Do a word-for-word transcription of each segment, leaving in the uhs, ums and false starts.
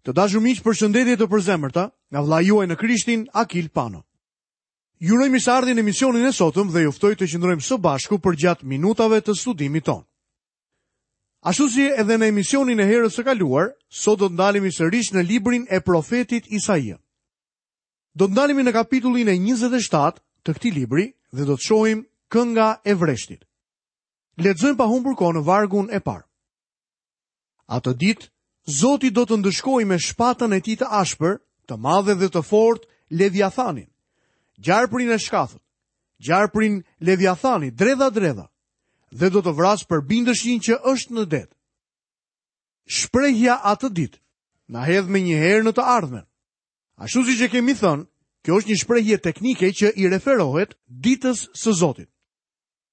Të dashur miq, përshëndetje të përzemërta nga vëllai juaj në Krishtin, Akil Pano. Ju uroj mirëseardhjen në emisionin e sotëm dhe ju ftoj të qëndrojmë së bashku përgjatë minutave të studimit tonë. Ashtu si edhe në emisionin e herës së kaluar, sot do të ndalemi sërish në librin e profetit Isaia. Do të ndalemi në kapitullin e njëzet e shtatë të këtij libri dhe do të shohim kënga e vreshtit. Lexojmë pa humbur kohë në vargun e parë. Atë ditë, Zoti do të ndëshkojë me shpatën e tij të ashpër, të madhe dhe të fortë Leviathanin, gjarprin e shkathët, gjarprin Leviathani, dredha dredha, dhe do të vrasë përbindëshin që është në det. Shprehja atë ditë na hedh me një herë në të ardhmen. Ashtu siç e kemi thënë, kjo është një shprehje teknike që i referohet ditës së Zotit.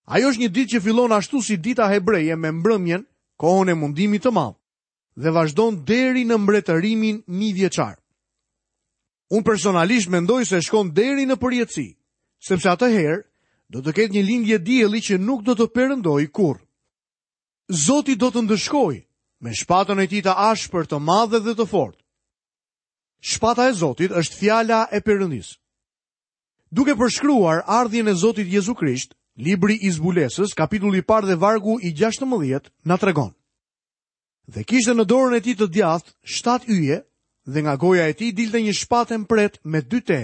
Ajo është një ditë që fillon ashtu si dita hebreje me mbrëmjen, kohën e mundimit të madh, dhe vazhdon deri në mbretërimin mijëvjeçar. Unë personalisht mendoj se shkon deri në përjetësi, sepse atëherë do të ketë një lindje dielli që nuk do të perëndojë kurrë. Zoti do të ndëshkojë me shpatën e tij të ashpër, të madhe dhe të fortë. Shpata e Zotit është fjala e Perëndisë. Duke përshkruar ardhjen e Zotit Jezu Krisht, libri i Zbulesës, kapitulli i parë dhe vargu i gjashtëmbëdhjetë, na tregon. Dhe kishte në dorën e tij të djathtë shtatë yje, dhe nga goja e tij dilte një shpatë e mprehtë me dy te,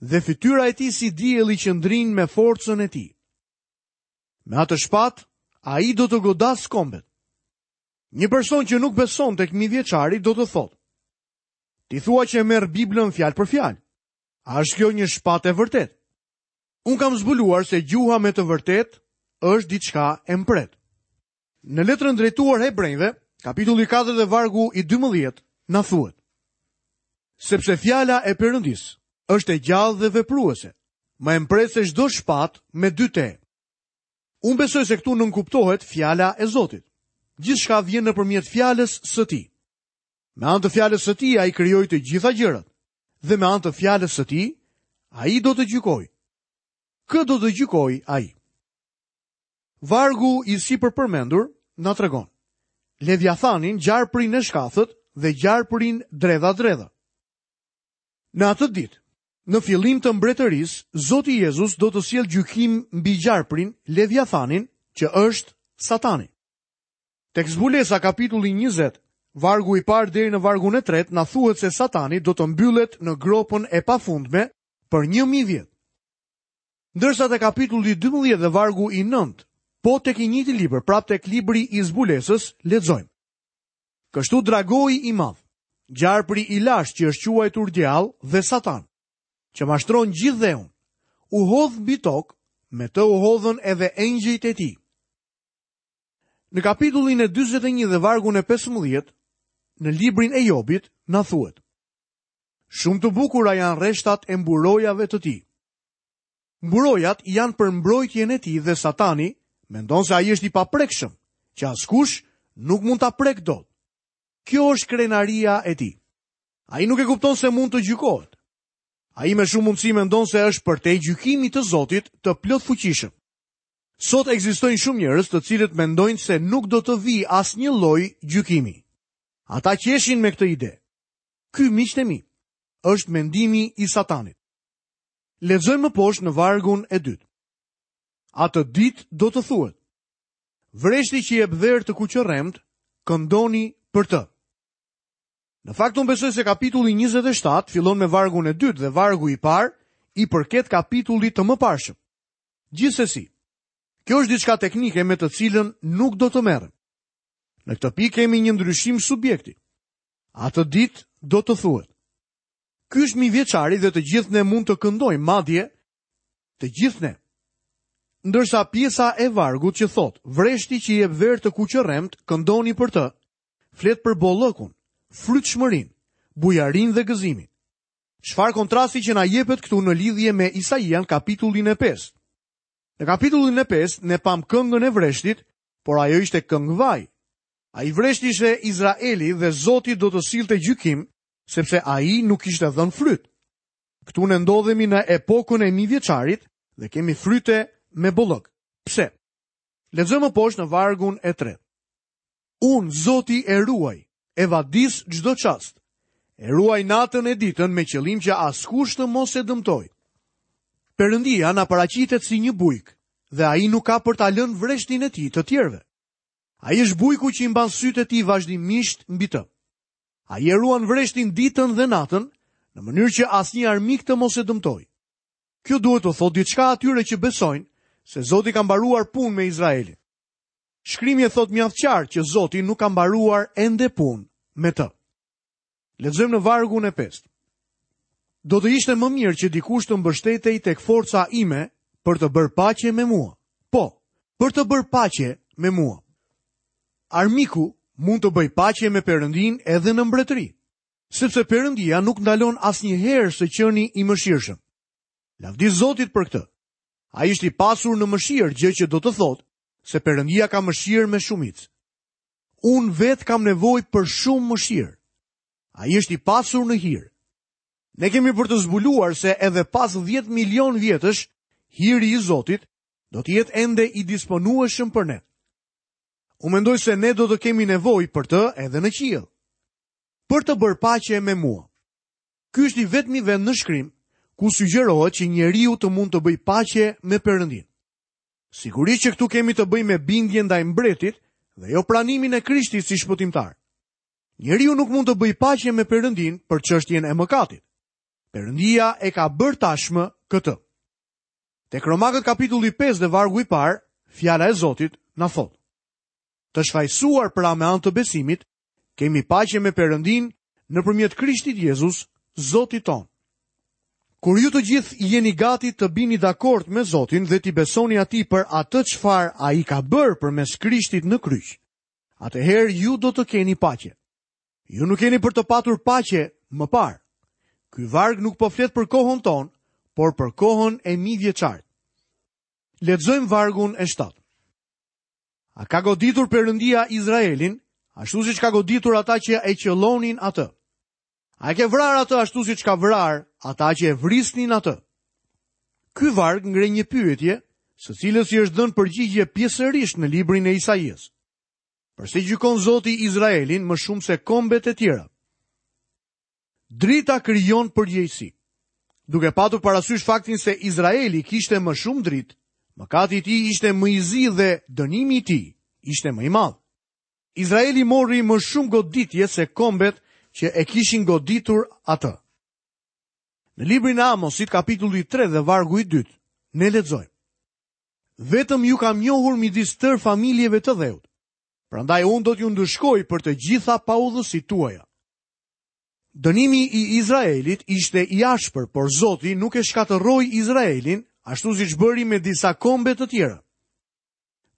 dhe fytyra e tij si dielli që ndrin me forcën e tij. Me atë shpatë, ai do të godasë kombet. Një person që nuk beson tek mijëvjeçari do të thotë: Ti thua që e merr Biblën fjalë për fjalë. A është kjo një shpatë e vërtetë? Unë kam zbuluar se gjuha me të vërtetë është diçka e mprehtë. Në letrën drejtuar hebrejve, kapitulli katër dhe vargu i dymbëdhjetë, na thuhet: Sepse fjala e Perëndisë është e gjallë dhe vepruese, më e mprehtë se çdo shpatë me dy te. Unë besoj se këtu nënkuptohet fjala e Zotit. Gjithçka vjen nëpërmjet fjalës së tij. Me anë të fjalës së tij ai krijoi të gjitha gjërat, dhe me anë të fjalës së tij ai do të gjykojë. Kë do të gjykojë ai? Vargu i sipër përmendur na tregon Leviathanin, gjarprin e shkathët dhe gjarprin dredha dredha. Në atë ditë, në fillim të mbretërisë, Zoti Jezus do të sjellë gjykim mbi gjarprin Leviathanin, që është Satani. Tek Zbulesa kapitulli njëzet, vargu i parë deri në vargun e tretë, na thuhet se Satani do të mbyllet në gropën e pafundme për një mijë vjet. Ndërsa te kapitulli dymbëdhjetë dhe vargu i nëntë, po tek i njëjti libër, prapë tek libri i Zbulesës, lexojmë. Kështu dragoi i madh, gjarpri i lashtë që është quajtur djall dhe Satan, që mashtron gjithë dheun, u hodh mbi tokë, me të u hodhën edhe engjëjt e tij. Në kapitullin e dyzet e një dhe vargun e pesëmbëdhjetë, në librin e Jobit, na thuhet: Shumë të bukura janë rreshtat e mburojave të tij. Mburojat janë për mbrojtjen e tij dhe Satani mendon se ai është i paprekshëm, që askush nuk mund ta prek dot. Kjo është krenaria e tij. Ai nuk e kupton se mund të gjykohet. Ai me shumë mundësi mendon se është përtej gjykimit të Zotit të plotfuqishëm. Sot ekzistojnë shumë njerëz të cilët mendojnë se nuk do të vijë asnjë lloj gjykimi. Ata qeshin me këtë ide. Ky, miqtë e mi, është mendimi i Satanit. Lexojmë më poshtë në vargun e dytë. Atë ditë do të thuhet: Vreshti që jep dherë të kuqërremt, këndoni për të. Në fakt unë besoj se kapitulli njëzet e shtatë fillon me vargun e dytë dhe vargu i parë i përket kapitullit të mëparshëm. Gjithsesi, kjo është diçka teknike me të cilën nuk do të merrem. Në këtë pikë kemi një ndryshim subjekti. Atë ditë do të thuhet: Ky është mijëvjeçari dhe të gjithë ne mund të këndojmë, madje të gjithë ne. Ndërsa pjesa e vargut që thotë, vreshti që jep verë të kuqërremt, këndoni për të, flet për bollëkun, frytshmërinë, bujarinë dhe gëzimin. Çfarë kontrasti që na jepet këtu në lidhje me Isaian kapitullin e pestë. Në kapitullin e pestë ne pam këngën e vreshtit, por ajo ishte këngë vaj. Ai vresht ishte Izraeli dhe Zoti do të sillte gjykim, sepse ai nuk kishte dhënë fryt. Këtu ne ndodhemi në epokën e mijëvjeçarit dhe kemi fryte me bollëk. Pse? Lexojmë më poshtë në vargun e tretë. Unë, Zoti e ruaj, e vadis çdo çast. E ruaj natën e ditën me qëllim që askush të mos e dëmtojë. Perëndia na paraqitet si një bujk dhe ai nuk ka për ta lënë vreshtin e tij të tjerëve. Ai është bujku që i mban sytë e tij vazhdimisht mbi të. Ai e ruan vreshtin ditën dhe natën, në mënyrë që asnjë armik të mos e dëmtojë. Kjo duhet të thotë diçka atyre që besojnë se Zoti ka mbaruar punë me Izraelin. Shkrimi e thotë mjaft qartë që Zoti nuk ka mbaruar ende punë me të. Lexojmë në vargun e pestë. Do të ishte më mirë që dikush të mbështetej tek forca ime për të bërë paqe me mua. Po, për të bërë paqe me mua. Armiku mund të bëjë paqe me Perëndin edhe në mbretëri, sepse Perëndia nuk ndalon asnjëherë së qeni i mëshirshëm. Lavdi Zotit për këtë. Ai është i pasur në mëshirë, gjë që do të thotë se Perëndia ka mëshirë me shumicë. Unë vetë kam nevojë për shumë mëshirë. Ai është i pasur në hir. Ne kemi për të zbuluar se edhe pas dhjetë milion vjetësh, hiri i Zotit do të jetë ende i disponueshëm për ne. Unë mendoj se ne do të kemi nevojë për të edhe në qiell. Për të bërë paqe me mua. Ky është i vetmi vend në shkrim ku sugjerohet që njeriu të mund të bëjë paqe me Perëndin. Sigurisht që këtu kemi të bëjmë me bindjen ndaj mbretit dhe jo pranimin e Krishtit si shpëtimtar. Njeriu nuk mund të bëjë paqe me Perëndin për çështjen e mëkatit. Perëndia e ka bërë tashmë këtë. Tek Romakët kapitulli pesë dhe vargu i parë, fjala e Zotit na thotë: Të shfajësuar pra me anë të besimit, kemi paqe me Perëndin nëpërmjet Krishtit Jezus, Zotit tonë. Kur ju të gjithë jeni gati të bini dakord me Zotin dhe t'i besoni atij për atë çfarë ai ka bërë përmes Krishtit në kryq, atëherë ju do të keni paqe. Ju nuk keni për të patur paqe më parë. Ky varg nuk po flet për kohën tonë, por për kohën e mijëvjeçarit. Lexojmë vargun e shtatë. A ka goditur Perëndia Izraelin, ashtu siç ka goditur ata që e qellonin atë? A e ke vrarë atë ashtu siç ka vrarë ata që e vrisnin atë? Ky varg ngre një pyetje, së cilës i është dhënë përgjigje pjesërisht në librin e Isaijës. Përse gjykon Zoti Izraelin më shumë se kombet e tjera? Drita krijon përgjegjësi. Duke patur parasysh faktin se Izraeli kishte më shumë dritë, mëkati i tij ishte më i zi dhe dënimi i tij ishte më i madh. Izraeli mori më shumë goditje se kombet që e kishin goditur atë. Në librin e Amosit, kapitulli tre dhe vargu i dytë, ne lexojmë: Vetëm ju kam njohur midis tërë familjeve të dheut. Prandaj unë do t'ju ndëshkoj për të gjitha paudhësitë tuaja. Dënimi i Izraelit ishte i ashpër, por Zoti nuk e shkatërroi Izraelin, ashtu siç bëri me disa kombe të tjera.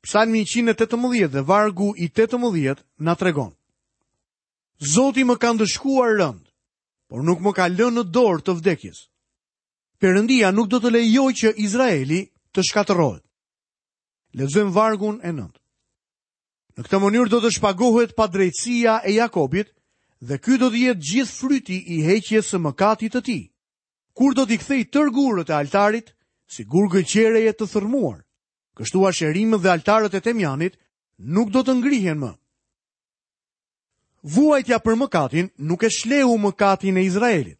Psalmi njëqind e tetëmbëdhjetë dhe vargu i tetëmbëdhjetë na tregon: Zoti më ka ndëshkuar rënd, por nuk më ka lënë në dorë të vdekjes. Perëndia nuk do të lejojë që Izraeli të shkatërrohet. Lexojmë vargun e nëntë. Në këtë mënyrë do të shpagohet padrejtësia e Jakobit dhe ky do të jetë gjithë fryti i heqjes së mëkatit të tij. Kur do t'i kthej tërë gurët e altarit si gurë gëlqereje të thërmuar, kështu asherimët dhe altarët e Temjanit nuk do të ngrihen më. Vuajtja për mëkatin nuk e shleu mëkatin e Izraelit.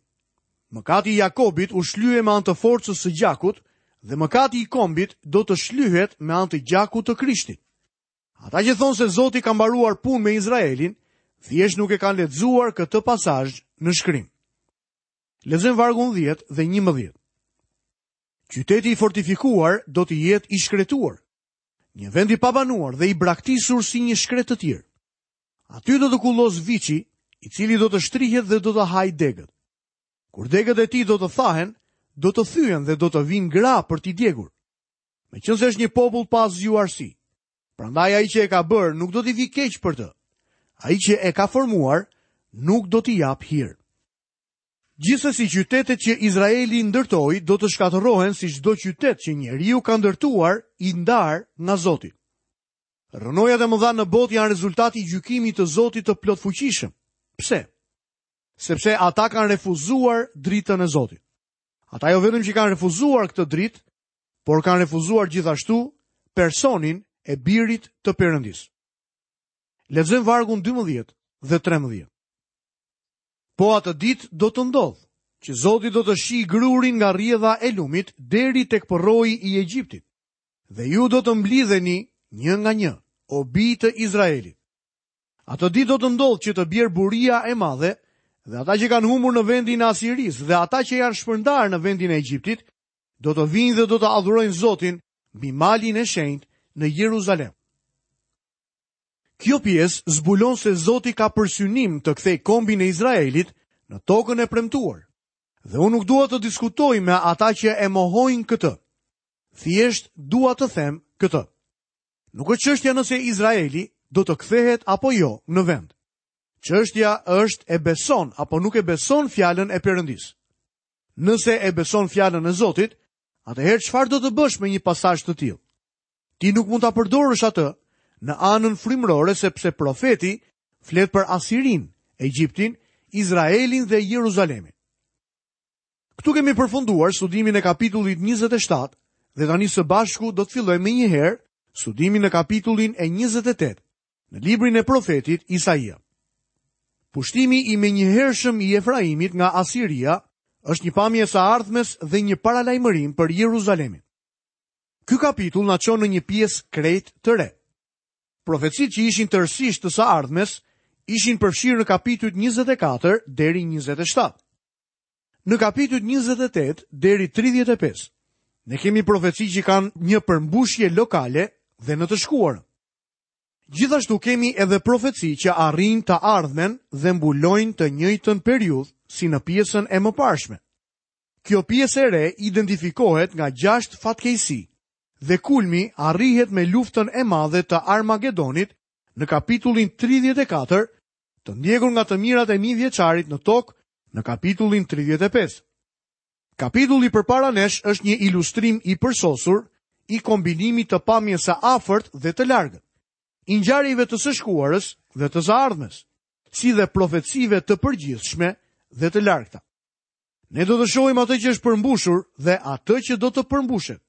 Mëkati i Jakobit u shlye me anë të forcës së gjakut dhe mëkati i kombit do të shlyhet me anë të gjakut të Krishtit. Ata që thonë se Zoti ka mbaruar punë me Izraelin, thjesht nuk e kanë lexuar këtë pasazh në shkrim. Lexojmë vargun dhjetë dhe njëmbëdhjetë. Qyteti i fortifikuar do të jetë i shkretuar, një vend i pabanuar dhe i braktisur si një shkret të tjerë. Aty do të kullos viçi, i cili do të shtrihet dhe do të hajë degët. Kur degët e tij do të thahen, do të thyhen dhe do të vinë gra për t'i djegur. Meqense është një popull pa zgjuarsi, prandaj ai që e ka bërë nuk do t'i vi keq për të. Ai që e ka formuar nuk do t'i jap hir. Gjithsesi qytetet që Izraeli ndërtoi do të shkatërrohen si çdo qytet që njeriu ka ndërtuar i ndar nga Zoti. Rrënojat e mëdha në botë janë rezultati i gjykimit të Zotit të plotfuqishëm. Pse? Sepse ata kanë refuzuar dritën e Zotit. Ata jo vetëm që kanë refuzuar këtë dritë, por kanë refuzuar gjithashtu personin e birit të Perëndisë. Lexojmë vargun dymbëdhjetë dhe trembëdhjetë. Po atë ditë do të ndodhë, që Zoti do të shijë grurin nga rrjedha e lumit deri tek përroi i Egjiptit, dhe ju do të mblidheni një nga një, o bij të Izraelit. Atë ditë do të ndodhë që të bjerë buria e madhe, dhe ata që kanë humbur në vendin e Asirisë dhe ata që janë shpërndarë në vendin e Egjiptit, do të vinë dhe do të adhurojnë Zotin mbi malin e shenjtë në Jeruzalem. Kjo pjesë zbulon se Zoti ka për synim të kthejë kombin e Izraelit në tokën e premtuar. Dhe unë nuk dua të diskutoj me ata që e mohojnë këtë. Thjesht dua të them këtë. Nuk është çështja nëse Izraeli do të kthehet apo jo në vend. Çështja është e beson apo nuk e beson fjalën e Perëndisë. Nëse e beson fjalën e Zotit, atëherë çfarë do të bësh me një pasazh të tillë? Ti nuk mund ta përdorësh atë në anën frymërore sepse profeti flet për Asirin, Egjiptin, Izraelin dhe Jeruzalemin. Këtu kemi përfunduar studimin e kapitullit njëzet e shtatë dhe tani së bashku do të fillojmë menjëherë studimin në kapitullin e njëzet e tetë në librin e profetit Isaia. Pushtimi i menjëhershëm i Efraimit nga Asiria është një pamje e së ardhmes dhe një paralajmërim për Jeruzalemin. Ky kapitull na çon në një pjesë krejt të re. Profecitë që ishin tërësisht të së ardhmes ishin përfshirë në kapitujt njëzet e katër deri njëzet e shtatë. Në kapitujt njëzet e tetë deri tridhjetë e pesë, ne kemi profeci që kanë një përmbushje lokale dhe në të shkuarën. Gjithashtu kemi edhe profeci që arrijnë të ardhmen dhe mbulojnë të njëjtën periudhë si në pjesën e mëparshme. Kjo pjesë e re identifikohet nga gjashtë fatkeqësi dhe kulmi arrihet me luftën e madhe të Armagedonit në kapitullin tridhjetë e katër, të ndjekur nga të mirat e mijëvjeçarit në tokë në kapitullin tridhjetë e pesë. Kapitulli përpara nesh është një ilustrim i përsosur i kombinimit të pamjes së afërt dhe të largët, i ngjarjeve të së shkuarës dhe të së ardhmes, si dhe profecive të përgjithshme dhe të largëta. Ne do të shohim atë që është përmbushur dhe atë që do të përmbushet.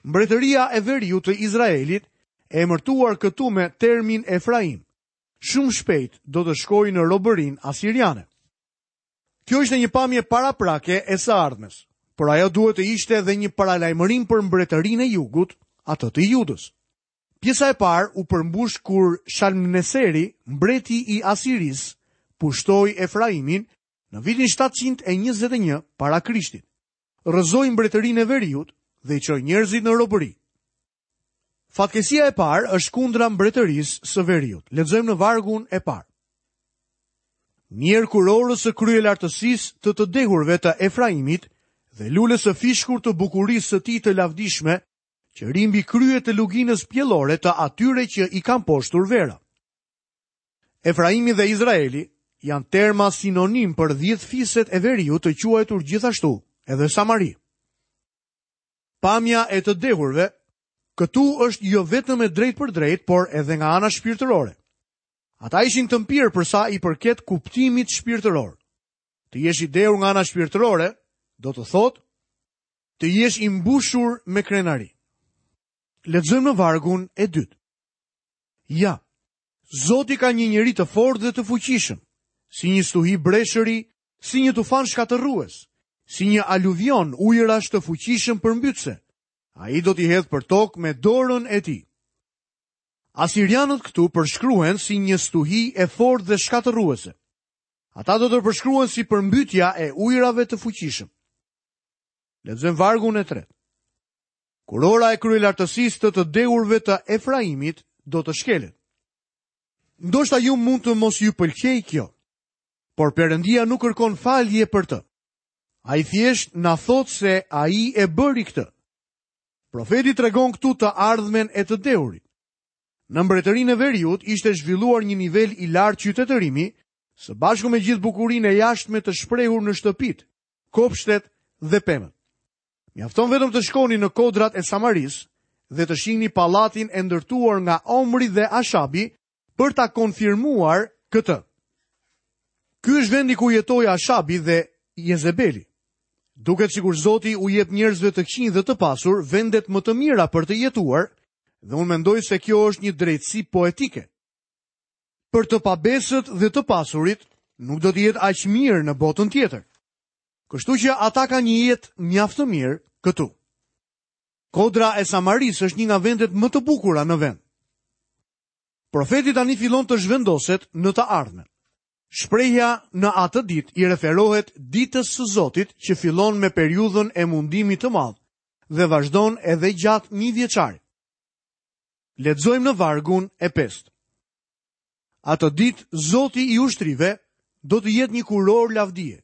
Mbretëria e veriut të Izraelit, e emërtuar këtu me termin Efraim, shumë shpejt do të shkojë në robërinë asiriane. Kjo ishte një pamje paraprake e së ardhmes, por ajo duhet të ishte edhe një paralajmërim për mbretërinë e jugut, atë të Judës. Pjesa e parë u përmbush kur Shalmaneseri, mbreti i Asirisë, pushtoi Efraimin në vitin shtatëqind e njëzet e një para Krishtit. Rrëzoi mbretërinë e veriut dhe i çoi njerëzit në robëri. Fatkeqësia e parë është kundra mbretërisë së veriut. Lexojmë në vargun e parë. Mjerë kurorës së kryelartësisë të të dehurve të Efraimit dhe lulës së fishkur të bukurisë së tij të lavdishme, që ri mbi krye të luginës pjellore të atyre që i kanë poshtur vera. Efraimi dhe Izraeli janë terma sinonim për dhjetë fiset e veriut të quajtur gjithashtu edhe Samari. Pamja e të dehurve këtu është jo vetëm e drejt për drejt, por edhe nga ana shpirtërore. Ata ishin të mpirë për sa i përket kuptimit shpirtëror. Të jesh i dehur nga ana shpirtërore do të thotë të jesh i mbushur me krenari. Lexojmë në vargun e dytë. Ja, Zoti ka një njeri të fortë dhe të fuqishëm, si një stuhi breshëri, si një tufan shkatërrues, si një aluvion ujërash të fuqishëm përmbytëse. Ai do t'i hedhë për tokë me dorën e tij. Asirianët këtu përshkruhen si një stuhi e fortë dhe shkatërruese. Ata do të përshkruhen si përmbytja e ujërave të fuqishëm. Lexojmë vargun e tretë. Kurora e kryelartësisë të të dehurve të Efraimit do të shkelet. Ndoshta ju mund të mos ju pëlqej kjo, por Perëndia nuk kërkon falje për të. Ai thjesht na thotë se ai e bëri këtë. Profeti tregon këtu të ardhmen e të dehurit. Në mbretërinë e veriut ishte zhvilluar një nivel i lartë qytetërimi, së bashku me gjithë bukurinë e jashtme të shprehur në shtëpitë, kopshtet dhe pemët. Mjafton vetëm të shkoni në kodrat e Samarisë dhe të shihni pallatin e ndërtuar nga Omri dhe Ashabi për ta konfirmuar këtë. Ky është vendi ku jetoi Ashabi dhe Jezebeli. Duket sikur Zoti u jep njerëzve të këqinj dhe të pasur vendet më të mira për të jetuar, dhe unë mendoj se kjo është një drejtësi poetike. Për të pabesët dhe të pasurit, nuk do të jetë aq mirë në botën tjetër. Kështu që ata kanë një jetë mjaft të mirë këtu. Kodra e Samarisë është një nga vendet më të bukura në vend. Profeti tani fillon të zhvendoset në të ardhmen. Shprehja në atë ditë i referohet ditës së Zotit që fillon me periudhën e mundimit të madh dhe vazhdon edhe gjatë një vjeçarit. Lexojmë në vargun e pestë. Atë ditë Zoti i ushtrive do të jetë një kuror lavdie,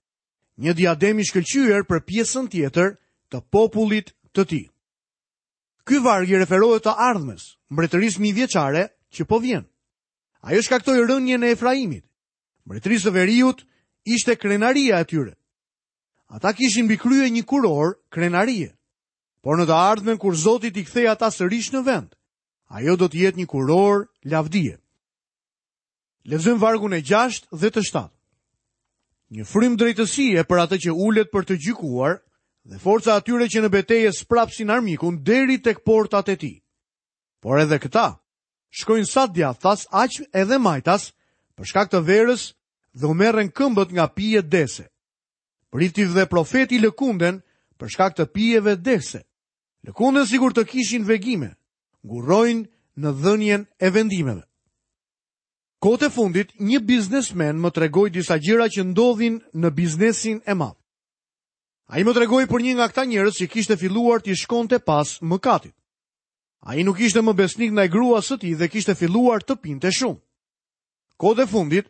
një diadem i shkëlqyer për pjesën tjetër të popullit të tij. Ky varg i referohet të ardhmes, mbretërisë mijëvjeçare që po vjen. Ajo shkaktoi rënien e Efraimit. Mbretërisë së Veriut ishte krenaria e tyre. Ata kishin mbi krye një kuror krenarie. Por në të ardhmen kur Zoti t'i kthejë ata sërish në vend, ajo do të jetë një kuror lavdie. Lexojmë vargun e gjashtë dhe të shtatë. Një frymë drejtësie për atë që ulet për të gjykuar dhe forca atyre që në betejë sprapsin armikun deri tek portat e tij. Por edhe këta shkojnë sa djathtas aq edhe majtas për shkak të verës dhe u merren këmbët nga pijet dese. Prifti dhe profeti lëkunden për shkak të pijeve dese. Lëkunden sikur të kishin vegime, ngurrojnë në dhënien e vendimeve. Kohët e fundit, një biznesmen më tregoi disa gjëra që ndodhin në biznesin e madh. Ai më tregoi për një nga këta njerëz që kishte filluar t'i shkonte pas mëkatit. Ai nuk ishte më besnik ndaj gruas së tij dhe kishte filluar të pinte shumë. Kohët e fundit,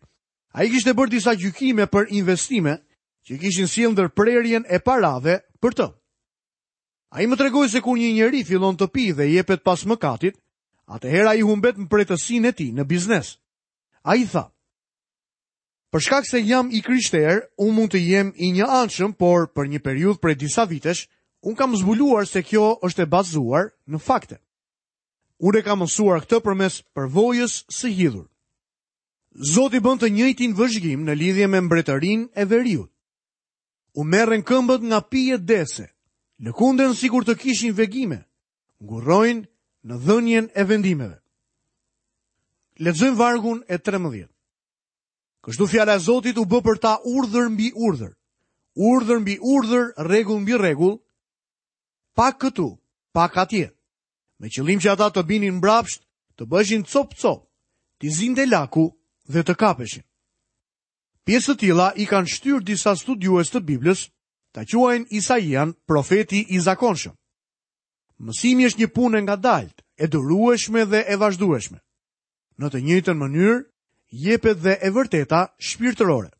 ai kishte bërë disa gjykime për investime që kishin sjellë ndërprerjen e parave për të. Ai më tregoi se kur një njeri fillon të pijë dhe jepet pas mëkatit, atëherë ai humbet mprehësinë e tij në biznes. Ai tha: Për shkak se jam i krishterë, unë mund të jem i njëanshëm, por për një periudhë prej disa vitesh, unë kam zbuluar se kjo është e bazuar në fakte. Unë e kam mësuar këtë përmes përvojës së hidhur. Zoti bën të njëjtin vëzhgim në lidhje me mbretërinë e veriut. U merren këmbët nga pijet dese, lëkunden sikur të kishin vegime, ngurrojnë në dhënien e vendimeve. Lexojmë vargun e trembëdhjetë. Kështu fjala e Zotit u bë për ta urdhër mbi urdhër, urdhër mbi urdhër, rregull mbi rregull, pak këtu, pak atje, me qëllim që ata të binin mbrapsht, të bëheshin cop-cop, t'i zinte laku dhe të kapeshin. Pjesë të tilla i kanë shtyrë disa studiues të Biblës ta quajnë Isaian profeti i zakonshëm. Mësimi është një punë e ngadaltë, e durueshme dhe e vazhdueshme. Në të njëjtën mënyrë, jepet dhe e vërteta shpirtërore.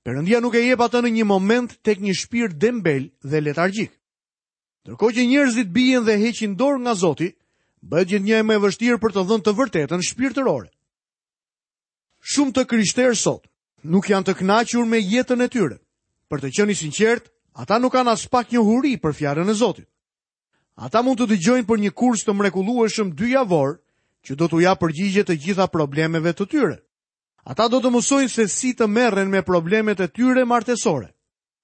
Perëndia nuk e jep atë në një moment tek një shpirt dembel dhe letargjik. Ndërkohë që njerëzit bien dhe heqin dorë nga Zoti, bëhet gjithnjë e më e vështirë për të dhënë të vërtetën shpirtërore. Shumë të krishterë sot nuk janë të kënaqur me jetën e tyre. Për të qenë i sinqert, ata nuk kanë as pak njohuri për fjalën e Zotit. Ata mund të dëgjojnë për një kurs të mrekullueshëm dy javor që do t'u japë përgjigje të gjitha problemeve të tyre. Ata do të mësojnë se si të merren me problemet e tyre martesore,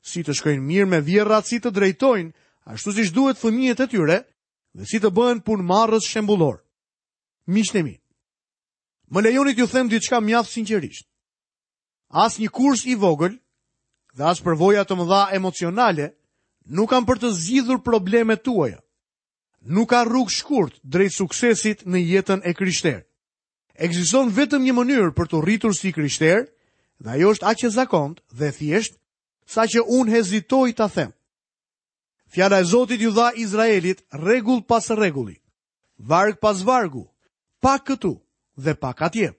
si të shkojnë mirë me vjerrat, si të drejtojnë ashtu siç duhet fëmijët e tyre dhe si të bëhen punëmarrës shembullor. Miqtë e mi, më lejoni t'ju them diçka mjaft sinqerisht. As një kurs i vogël dhe as përvoja të mëdha emocionale nuk kanë për të zgjidhur problemet tuaja. Nuk ka rrugë shkurt drejt suksesit në jetën e krishterë. Ekziston vetëm një mënyrë për të rritur si krishterë, dhe ajo është aq e zakontë dhe thjesht, saqë unë hezitoj ta them. Fjala e Zotit ju dha Izraelit rregull pas rregulli, varg pas vargu, pak këtu dhe pak atje.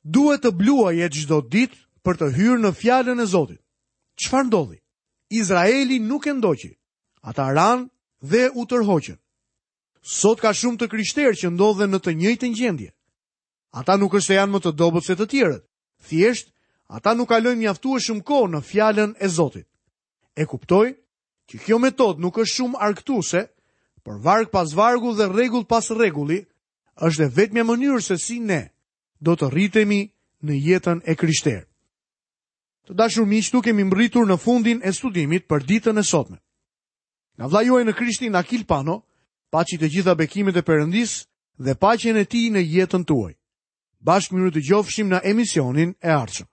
Duhet të bluaje çdo ditë për të hyrë në fjalën e Zotit. Çfarë ndodhi? Izraeli nuk e ndoqi. Ata ranë dhe u tërhoqën. Sot ka shumë të krishterë që ndodhen në të njëjtën gjendje. Ata nuk është se janë më të dobët se të tjerët. Thjesht, ata nuk kalojnë mjaftueshëm kohë në fjalën e Zotit. E kuptoj që kjo metodë nuk është shumë argëtuese, por varg pas vargu dhe rregull pas rregulli është e vetmja mënyrë se si ne do të rritemi në jetën e krishterë. Të dashur miq, tu kemi mbërritur në fundin e studimit për ditën e sotme. Nga vëllai juaj në Krishtin Akil Pano, paçi të gjitha bekimet e Perëndisë dhe paqen e tij në jetën tuaj. Bashkë mirë të dëgjofshim në emisionin e ardhshëm.